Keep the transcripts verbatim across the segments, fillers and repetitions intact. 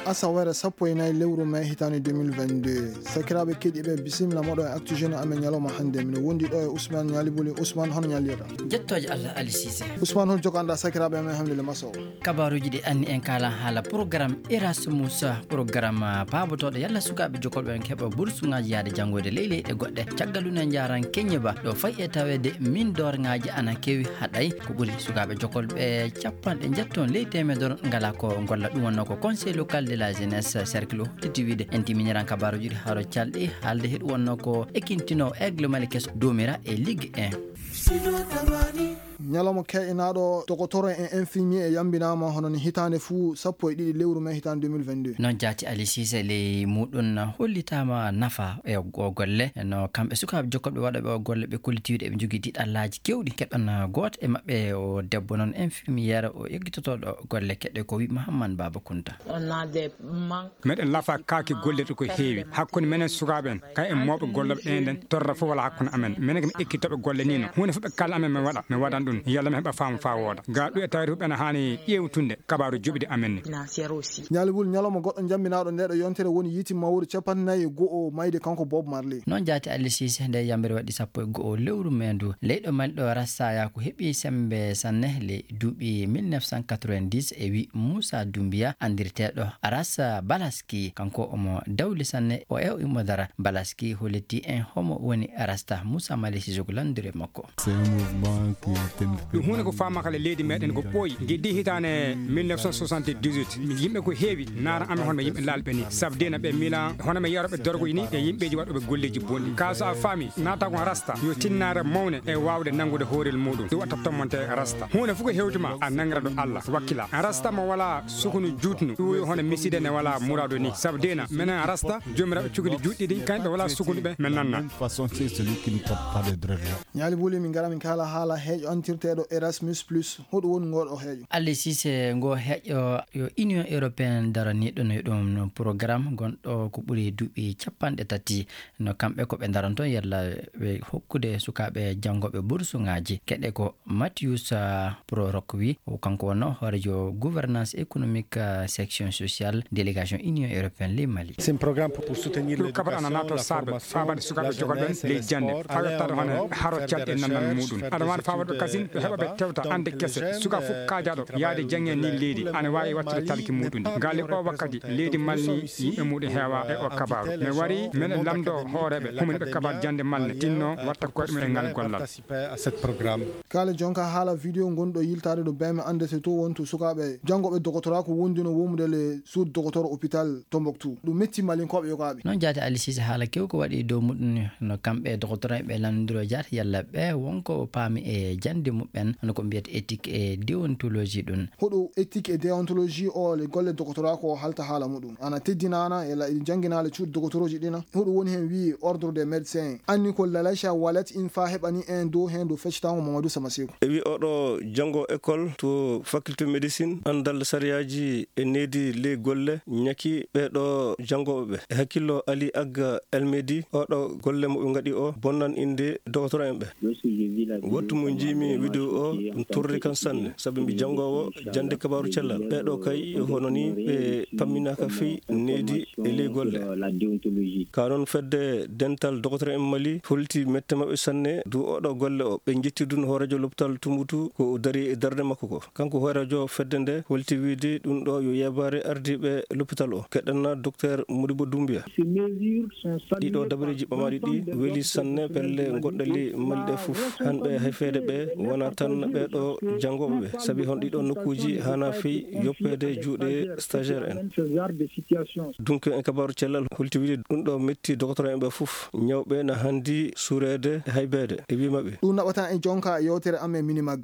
Asawere sappo e nayi lewru mai hitaande deux mille vingt-deux. Sakiraaɓe keɗiiɓe, bisimilla moɗo e Actu Jeune amen ñalawma hannde. Mino wondi ɗo e Ousmane Ñaali Buli. Ousmane, hono ñallirɗa? Jettooje Allah, Ali Cissé. Ousmane, hol joganɗa sakiraaɓe amen hannde le maso? Kabaaruuji ɗi anni en kaala haala programme Erasmus, programme paabotooɗo yalla sukaaɓe jokolɓe en keɓa bursuŋaaji yaade janngoyde ley leyɗe goɗɗe. Caggal ɗum en njaaran Keñe Ba ɗo fayi e taweede min doorŋaaji ana kewi haɗay. Ko ɓuri sukaaɓe jokolɓe capanɗe njetton ley teemedere ngala ko golla. Ɗum wonnoo ko Conseil local de la jeunesse, cercle o holliti wiide. En timiniran kabaaruuji ɗi haro calɗi haalde he ɗum wonnoo ko ekintino Aigle Mali keso domira e Ligue un. Ñalawma ke'inaaɗo, dogotoro e infirmier e yambinaama hono ni hitaande fuu sappo e ɗiɗi lewru mai hitaande deux mille vingt-deux. Noon jaati Ali Cissé ley muɗum hollitaama nafa e o golle no kamɓe sukaaɓe jokkoɓe waɗooɓe o golle ɓe kolliti wiide eɓe njogii diɗallaaji kewɗi. Keɗon gooto e maɓɓe o debbo noon infirmière o eggitotooɗo golle keɗe ko wi Mahamman Baba Kunta. Meɗen lafa kaaki gollirɗe ko heewi hakkunde menen sukaaɓe en, kay en mawɓe gollooɓe ɗen ɗen torra fof wala hakkunde amen. Menen ko mi ekkitooɓe golle ni no. Huunde fof ɓe kalna amen mi waɗa, mi waɗan ɗum. Yalla mi heɓa faamu faa wooda. Ga ɗum e tawde fof ɓena haani ƴeewtunde kabaaru joɓidi amen ni. Ñaali Buli, ñalawma goɗɗo jambinaaɗo nde ɗo yontere woni yiiti mawri capanɗe nayi e go'o mayde kanko Bob Marley. Noon jaati Ali Cissé nde yambere waɗi sappo e go'o lewru mai ndu. Leyɗo Mali ɗo Rasta ya ko heɓi sembe sanne le duuɓi mille neuf cent quatre-vingt-dix e wi Moussa Doumbia, anndirteeɗo Ras Balaski. Kanko omo dawli sanne o e o Imodara. Balaski holliti en homo woni Rasta. Moussa Mali Sissoko lanndiri e makko. C'est un mouvement qui est un... Ɗum huunde ko faama kala leydi meɗen ko ɓooyi. Geddi hitaande mille neuf cent soixante-dix-huit, yimɓe ko heewi naara amen hono ɓe yimɓe laalɓe ni. Sabu dina ɓe miila hono ɓe yaroɓe dorgoji ni e yimɓeji waɗoɓe golleji bonɗi. Ka so a faami, naata ko Rasta yo tinnaare mawne e waawde nanngude hoorel muɗum. Ɗum watta tommante Rasta. Huunde fof ko hewtuma, a nangira ɗo Allah, wakkila. Rasta mo wala sukunu juutnu, ɗum yo hono miside ne wala murado ni. Sabu dina, menen Rasta, jomiraɓe cukuli juutɗi ɗi, kañɓe wala sukunu ɓe, men nanna. Même façon, c'est celui qui ne porte pas de dreadlock. Ñaali Buli, min ngara min kaala haala heeƴo antirteeɗo Erasmus Plus. Hoɗum woni ngoɗo heeƴo? Ali Cissé, ngo heeƴo yo Union Européenne daraniiɗo no ɗum programme gonɗo ko ɓuri duuɓi capanɗe tati. No kamɓe ko ɓe daranto yalla ɓe hokkude sukaaɓe janngooɓe bursuŋaaji. Keɗe ko Mathius, ah, Prorock wi, o kanko wonno hoorejo gouvernance économique, ah, section sociale délégation Union Européenne ley Mali. C'est un programme pour soutenir l'éducation, la formation, la jeunesse et le sport ailleurs en Europe, faire des échanges, faire des rencontres. Aɗa waɗa faawaade ɓe kasin, ɓe heɓa ɓe tewta annde kese. Suka fof kaajaaɗo yaade jannge ni leydi, ana waawi wattude talki muɗum. Ngal e o wakkati, leydi Mali ni, yimɓe muɗum heewa e o kabaaru. Mi wari, menen lamdo hooreeɓe, humani ɓe kabaaru jannde Mali, tinno watta koye ɗum e ngal gollal. Kaale jonka haala vidéo gonɗo yiltaade ɗo beme annde so to wontu sukaaɓe janngooɓe dogotora ko wondino womude le suudu dogotor hôpital Tombouctou. Ɗum metti Malinkooɓe yogaaɓe. Noon jaati Ali Cissé haala kew ko waɗi dow muɗum no kamɓe dogotora ɓe lanndiro jaati yalla ɓe wonko paami e jannde muɓɓen hono ko mbiyata éthique et déontologie ɗum. Hoɗo éthique et déontologie o le golle dogotora ko halta haala muɗum. Ana teddinaana e la-, jannginaale cuuɗi dogotorooji ɗina. Hoɗo woni heen wii ordre des médecins. Anni ko Lalacha Walet in fa heɓani en dow heen dow feccitango Mamadou Samasekou. E wi oɗo janngo école to faculté médecine, anndal sariyaaji e needi ley golle ñaki ɓeeɗo janngooɓe ɓe. E hakkillo Ali Agga Elmedi, oɗo golle mo ɓe ngaɗi o bonnan innde dogotora en ɓe. Wattu mo njiimi vidéo o, ɗum torri kan sanne, sabu mi janngoowo jannde kabaaru cellal. Ɓeeɗo kay hono ni ɓe pamminaaka fey needi e ley golle. Ka noon fedde dental dogotora en Mali holti mette maɓɓe sanne du oɗo golle o. Ɓe njetti dun hoorejo lopital Tumbutu ko o dari e darde makko ko. Kanko hoorejo fedde nde holti wiide ɗum ɗo yo yebaare ardiiɓe lopital o. Keɗanna Docteur Modibo Doumbia. Ɗiɗo dabareeji ɓamaaɗi ɗi weli sanne pelle goɗɗe ley Mali ɗe fof. Hanɓe hayfeede ɓe wona tan ɓeeɗo janngooɓe ɓe, sabi hon ɗiɗo nokkuuji hana fey yoppeede juuɗe stagiaire en. Donc en kabaaru cellal holti wiide ɗum ɗo metti dogotora en ɓe fof. Ñawɓe na handi suureede e haybeede e wi maɓɓe. Ɗum naɓata en jonka e yewtere amen Minimag.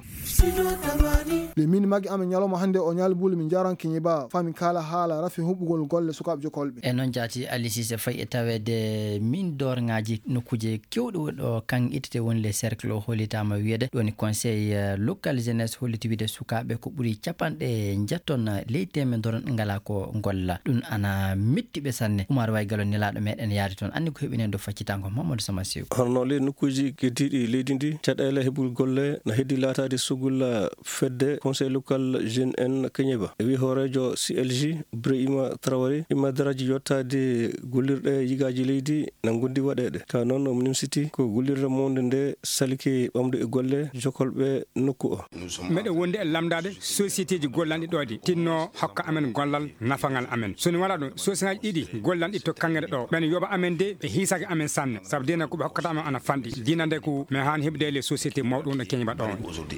Le Minimag amen ñalawma hannde o ñaal buule min njaran kiñiba fami kala haala rafi huɓɓugol golle sukaaɓe jokolɓe. E noon jaati Ali Cissé fayi e taweede min doorŋaaji nokkuuje kewɗe woni ɗo kan ittete woni le cercle o hollitaama wiyeede ɗoni Conseil, eh, local jeunesse holliti wiide sukaaɓe ko ɓuri capanɗe njeeto e ley teemedere ngalaa ko ngolla. Ɗum ana metti ɓe sanne. Umar Way Galo nelaaɗo meɗen yaari toon. Anndi ko heɓi en ɗo faccitango Mamadou Sama Sew. Hono ley nokkuuji keddiiɗi leydi ndi, caɗeele heɓugol golle na heddii laataade sugol fedde Conseil local jeune en Keñeba. E wii hooreejo C L G, Ibrahima Traoré, ɗimma daraaji yottaade gollirɗe yigaaji leydi na ngondi waɗeede. Ka noon, omo nimsiti ko gollirde mawnde nde salike ɓamde e golle jokolɓe nokku o. Meɗen wondi e lamndaade sociétéji gollanɗi ɗo ɗi tinno hokka amen gollal nafangal amen. So ni wala ɗum, sociétéji ɗiɗi gollanɗi to kaŋŋe ɗo, ɓen yoɓa amen de, ɓe hiisake amen sanne. Sabu dina ko ɓe hokkata amen ana fanɗi. Dina nde ko men haani heɓde les sociétés mawɗo ɗo Keñeba ɗo.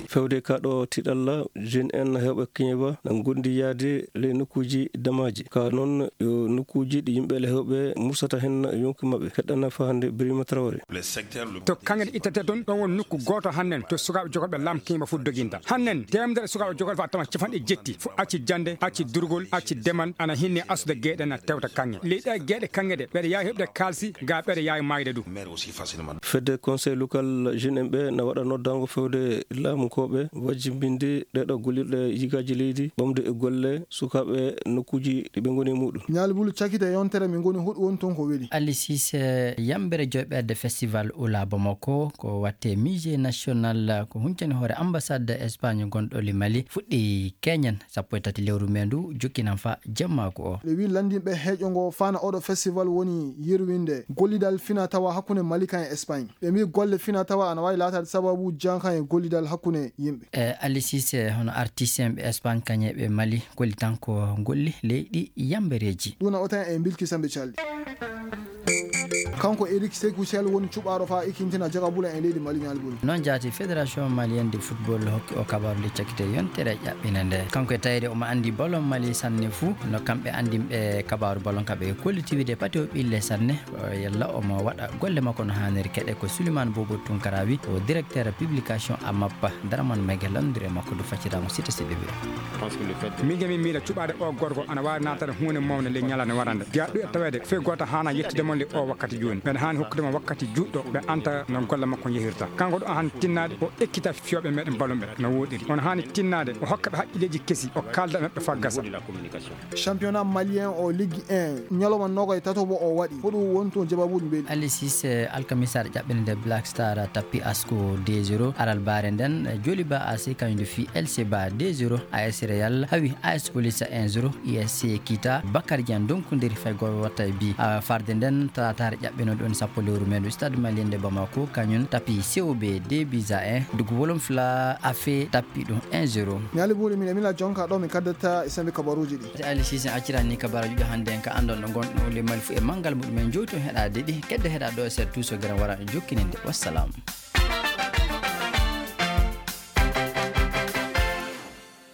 Fewde ka ɗo tiɗalla, jeune en heewɓe Keñeba na ngondi yaade ley nokkuuji damaaji. Ka noon, yo nokkuuji ɗi yimɓe le heewɓe mursata hen yonki maɓɓe. Heɗɗana fahande Birima Traoré. To kaŋŋe ɗe ittete toon, ɗon woni nokku gooto hannden to sukaaɓe jokolɓe lam Keñeba fof doginta. Hannden, teemedere sukaaɓe jokolɓe fof a tawat capanɗe jetti. Fof acci jannde, acci durgol, acci demal, ana hinni asude geeɗe na tewta kaŋŋe. Ley ɗe geeɗe kaŋŋe ɗe, ɓeɗe yaawi heɓde kaalsi, ga ɓeɗe yaawi maayde du. Fedde Conseil local jeune en ɓe na waɗa noddaango fewde laamu ko ɓe wajjimbinde ɗeɗo gollirɗe yigaaji leydi, ɓamde e golle sukaaɓe nokkuuji ɗi ɓe ngoni e muɗum. Ñaali Bulu cakite yontere min ngoni huɗo woni toon ko weli. Ali Cissé, yambere joyɓerde festival Oula Bamako, ko watte musée national, ko huncani hoore ambassade Espagne gonɗo le Mali, fuɗɗi keñen sappo e tati lewru me ndu, jokkinan fa jemmaaku o. Le wi lanndinɓe heeƴo ngo fana oɗo festival woni yirwinde gollidal fina tawa hakkunde Mali kan e Espagne. Ɓe mbi golle fina tawa ana waawi laataade sababu jankan e gollidal hakkunde yimɓe. E Ali Cissé, hono artiste en ɓe Espagne kañe ɓe Mali, golli tan ko golli leyɗi yambereeji. Ɗum na o tan e mbilki sambe calɗi. Kanko Eric Sekou Sall woni cuɓaaɗo fa ikintina jagabula e leydi Mali Ñaali Bulu. Noon jaati Fédération Malienne de Football hokki o kabaaru nde cakkite yontere ƴaɓɓina nde. Kanko e tawde omo anndi ballon Mali sanne fuu, no kamɓe anndinɓe kabaaru ballon ka ɓe kolliti wiide pati o ɓille sanne, o yalla omo waɗa golle makko no haaniri keɗe ko Souleymane Bobo Tounkara wi, o directeur publication A M A P, Dramane Mege lanndiri e makko du faccitaango sita siɗi ɓe. Min ke min miila cuɓaade o gorko ana waawi naatade huunde mawnde ley ñalaande warande. Jeyaa ɗum e taweede fii gooto haana yettude mon le o wakkati jooni. Mbeɗa haani hokkude mo wakkati juutɗo ɓe anta no golle makko njehirta. Kanko ɗo haani tinnaade o ekkita fiyooɓe meɗen ballon ɓe no woɗɗiri. On haani tinnaade o hokka ɓe haqqilleeji kesi o kaalda e maɓɓe faa gasa. Championnat malien o Ligue un ñalawma noogay tato mo o waɗi. Ko ɗum woni toon jababuuji mbeɗi. Ali Cissé, alkamisaare ƴaɓɓinde nde Black Star tappi Asco deux zéro. Aral baare nden, Joliba A C kañum nde fii L C Ba deux zéro. A S Real hawi A S Police un zéro. U S C Kita Bakar Dieng donkondiri fay gooto watta e bi. A, farde nden, talaataare ƴaɓɓinooɗo on sappo lewru me ndu, Stade Malien de Bamako kañum tappi C O B deux buts à un. Dugu Wolon Fla Afe tappi ɗum un zéro. Ñaali Bulu, min e mila jonka ɗo mi kaddata e sembe kabaruuji ɗi. Ali Cissé accirani kabaruuji ɗo hannde en ka anndon no ngonɗon le Mali fu e manngal muɗum en jowti on heɗaade ɗi. Kedde heɗa ɗo e seeɗa tuuso gere wara jokkininde. Wassalam.